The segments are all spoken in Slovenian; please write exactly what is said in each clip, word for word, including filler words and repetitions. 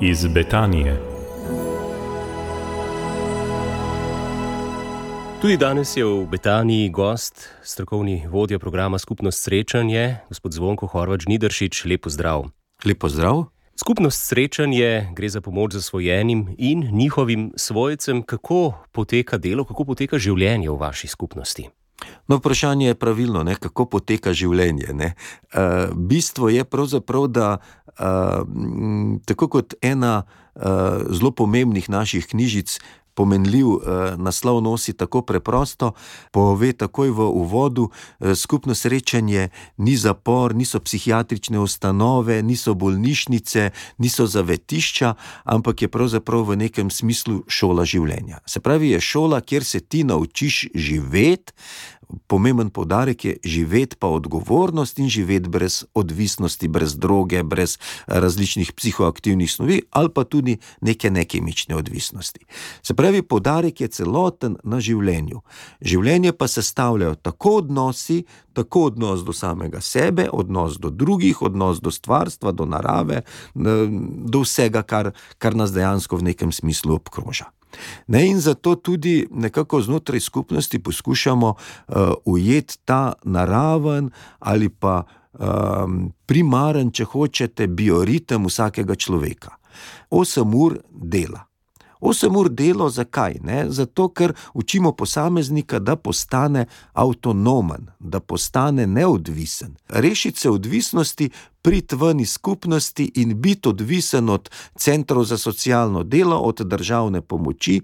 iz Betanije. Tudi danes je v Betaniji gost, strokovni vodja programa Skupnost srečanje, gospod Zvonko Horvat Žnidaršič. Lep pozdrav. Lep pozdrav. Skupnost srečanje gre za pomoč zasvojenim in njihovim svojcem. Kako poteka delo, kako poteka življenje v vaši skupnosti? No, vprašanje je pravilno, ne? Kako poteka življenje. Ne? Uh, bistvo je pravzaprav, da uh, tako kot ena uh, zelo pomembnih naših knjižic, pomenljiv eh, naslov nosi tako preprosto, pove takoj v uvodu, eh, skupno srečanje ni zapor, niso psihiatrične ustanove, niso bolnišnice, niso zavetišča, ampak je pravzaprav v nekem smislu šola življenja. Se pravi, je šola, kjer se ti naučiš živeti, pomemben poudarek je živeti pa odgovornost in živeti brez odvisnosti, brez droge, brez različnih psihoaktivnih snovi ali pa tudi neke nekemične odvisnosti. Se pravi, poudarek je celoten na življenju. Življenje pa sestavljajo tako odnosi, tako odnos do samega sebe, odnos do drugih, odnos do stvarstva, do narave, do vsega, kar, kar nas dejansko v nekem smislu obkroža. Ne, in zato tudi nekako znotraj skupnosti poskušamo uh, ujeti ta naraven ali pa um, primaren, če hočete, bioritem vsakega človeka. Osem ur dela. Osem ur delo zakaj? Ne? Zato, ker učimo posameznika, da postane avtonomen, da postane neodvisen. Rešiti se odvisnosti, priti ven iz skupnosti in biti odvisen od centrov za socialno delo, od državne pomoči,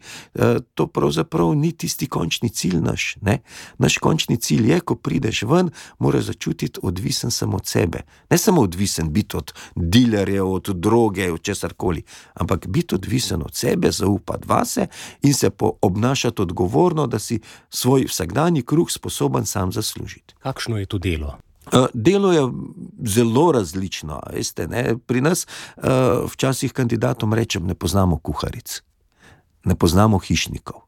to pravzaprav ni tisti končni cilj naš. Ne? Naš končni cilj je, ko prideš ven, moraš začutiti odvisen samo od sebe. Ne samo odvisen biti od dilerjev, od droge, od česarkoli, ampak biti odvisen od sebe, zaupati vase in se obnašati odgovorno, da si svoj vsakdanji kruh sposoben sam zaslužiti. Kakšno je to delo? Delo je zelo različno, veste, ne? Pri nas uh, včasih kandidatom rečem, ne poznamo kuharic, ne poznamo hišnikov,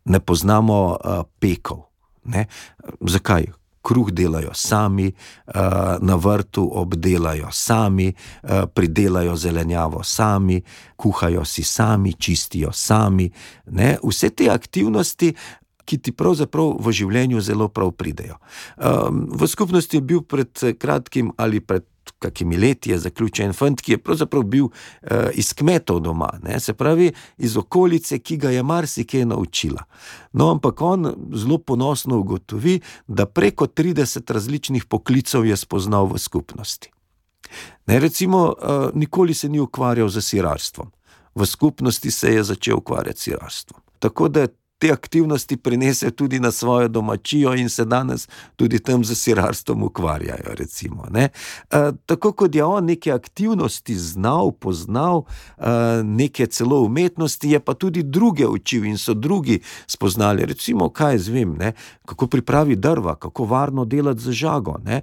ne poznamo uh, pekov. Ne? Zakaj? Kruh delajo sami, uh, na vrtu obdelajo sami, uh, pridelajo zelenjavo sami, kuhajo si sami, čistijo sami. Ne? Vse te aktivnosti, ki ti pravzaprav v življenju zelo prav pridejo. Um, v skupnosti je bil pred kratkim ali pred kakimi leti je zaključen fant, ki je pravzaprav bil uh, iz kmetov doma, ne? Se pravi iz okolice, ki ga je marsikaj naučila. No, ampak on zelo ponosno ugotovi, da preko trideset različnih poklicev je spoznal v skupnosti. Ne, recimo, uh, nikoli se ni ukvarjal z sirarstvom. V skupnosti se je začel ukvarjati s sirarstvom. Tako da te aktivnosti prinese tudi na svojo domačijo in se danes tudi tam z sirarstvom ukvarjajo, recimo. Ne? E, tako kot je on neke aktivnosti znal, poznal, e, neke celo umetnosti, je pa tudi druge učil in so drugi spoznali, recimo, kaj zvem, ne? Kako pripravi drva, kako varno delati z žago. Ne? E,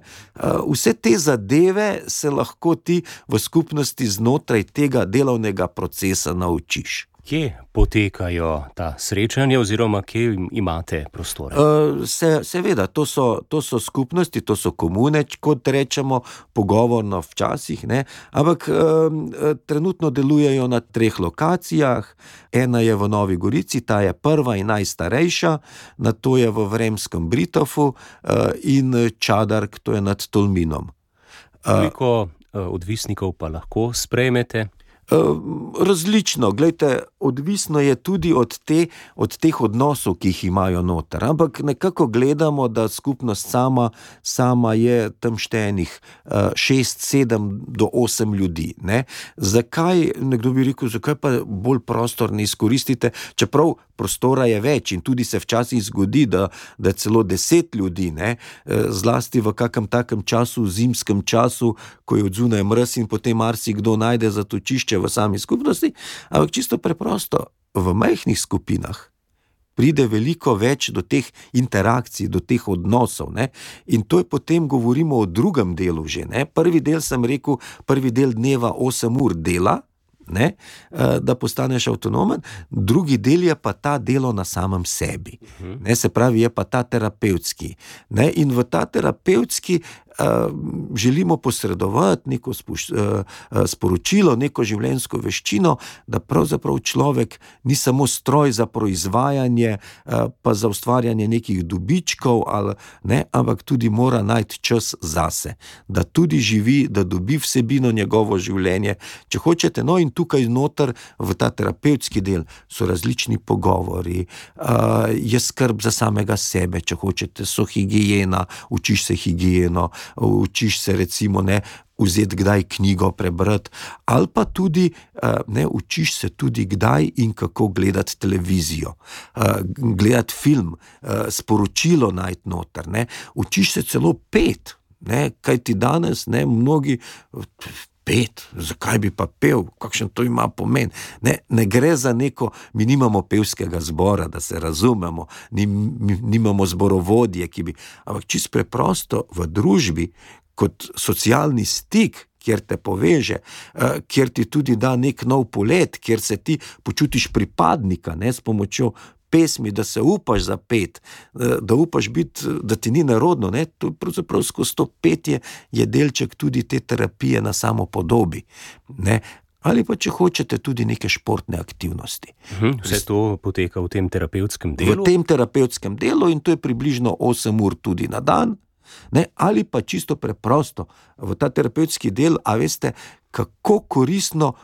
vse te zadeve se lahko ti v skupnosti znotraj tega delovnega procesa naučiš. Kje potekajo ta srečanja oziroma kje imate prostore? Uh, se, seveda, to so, to so skupnosti, to so komune, kot rečemo, pogovorno včasih, ne? Ampak uh, trenutno delujejo na treh lokacijah. Ena je v Novi Gorici, ta je prva in najstarejša, nato je v Vremskem Britofu uh, in Čadark, to je nad Tolminom. Koliko uh, odvisnikov pa lahko sprejmete? Različno, glejte, odvisno je tudi od, te, od teh odnosov, ki jih imajo noter, ampak nekako gledamo, da skupnost sama, sama je tam štejenih šest, sedem do osem ljudi. Ne? Zakaj, nekdo bi rekel, zakaj pa bolj prostor ne izkoristite, čeprav prostora je več in tudi se včasih zgodi, da, da celo deset ljudi, ne? Zlasti v kakem takem času, zimskem času, ko je odzunaj mraz in potem marsikdo najde zatočišče v sami skupnosti, ampak čisto preprosto, v majhnih skupinah pride veliko več do teh interakcij, do teh odnosov, ne? In to je potem govorimo o drugem delu že, ne? Prvi del sem rekel, prvi del dneva osem ur dela, ne, da postaneš avtonomen, drugi del je pa ta delo na samem sebi. Ne, se pravi, je pa ta terapevtski. Ne, in v ta terapevtski želimo posredovati neko spuš, sporočilo, neko življenjsko veščino, da pravzaprav človek ni samo stroj za proizvajanje, pa za ustvarjanje nekih dobičkov, ali, ne, ampak tudi mora najti čas zase, da tudi živi, da dobi vsebino njegovo življenje, če hočete. No, in tukaj noter v ta terapevtski del so različni pogovori, je skrb za samega sebe, če hočete, so higijena, učiš se higijeno, učiš se recimo ne vzeti kdaj knjigo prebrati, ali pa tudi ne, učiš se tudi kdaj in kako gledati televizijo, gledati film, sporočilo najti noter, ne, učiš se celo pet, ne, kaj ti danes, ne, mnogi pet, zakaj bi pa pel, kakšen to ima pomen, ne, ne gre za neko, mi nimamo pevskega zbora, da se razumemo, nim, nimamo zborovodje, ki bi, ampak čisto preprosto v družbi, kot socialni stik, kjer te poveže, kjer ti tudi da nek nov polet, kjer se ti počutiš pripadnika, ne, s pomočjo pesmi, da se upaš zapeti, da upaš biti, da ti ni nerodno, ne, to pravzaprav skozi to petje je delček tudi te terapije na samopodobi, ne, ali pa če hočete tudi neke športne aktivnosti. Uhum, vse to poteka v tem terapevtskem delu? V tem terapevtskem delu in to je približno osem ur tudi na dan, ne, ali pa čisto preprosto v ta terapevtski del, a veste, kako koristno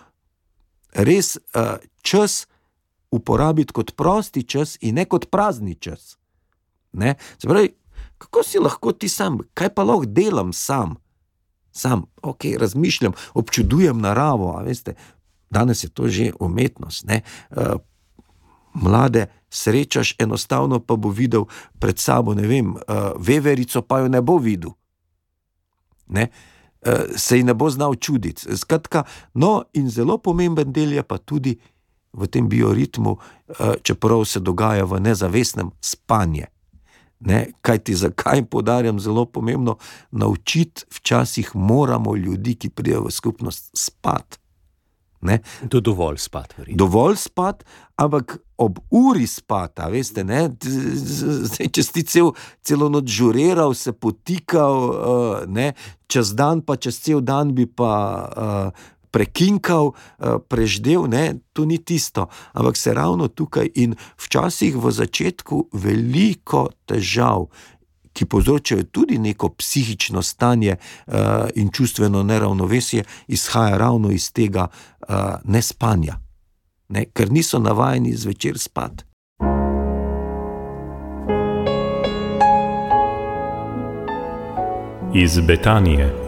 res uh, čas uporabiti kot prosti čas in ne kot prazni čas. Ne? Se pravi, kako si lahko ti sam, kaj pa lahko delam sam? Sam, ok, razmišljam, občudujem naravo, a veste, danes je to že umetnost, ne? Uh, mlade srečaš, enostavno pa bo videl pred sabo, ne vem, uh, veverico, pa jo ne bo videl. Ne? Uh, se ji ne bo znal čuditi. Skratka, no, in zelo pomemben del je pa tudi v tem bioritmu, uh, čeprav se dogaja v nezavestnem, spanje. Ne? Kaj ti, zakaj poudarjam, zelo pomembno, naučiti včasih moramo ljudi, ki pridejo v skupnost, spati. Ne? To dovolj spat, verjetno. Dovolj spat, ampak ob uri spata, veste, ne, zdaj, če si cel, celo noč žuriral, se potikal, uh, ne, čez dan pa čez cel dan bi pa uh, prekinkal, uh, preždel, ne, to ni tisto, ampak se ravno tukaj in včasih v začetku veliko težav, ki povzročajo tudi neko psihično stanje uh, in čustveno neravnovesje, izhaja ravno iz tega uh, nespanja, ne? Ker niso navajeni zvečer spati. Iz Betanije.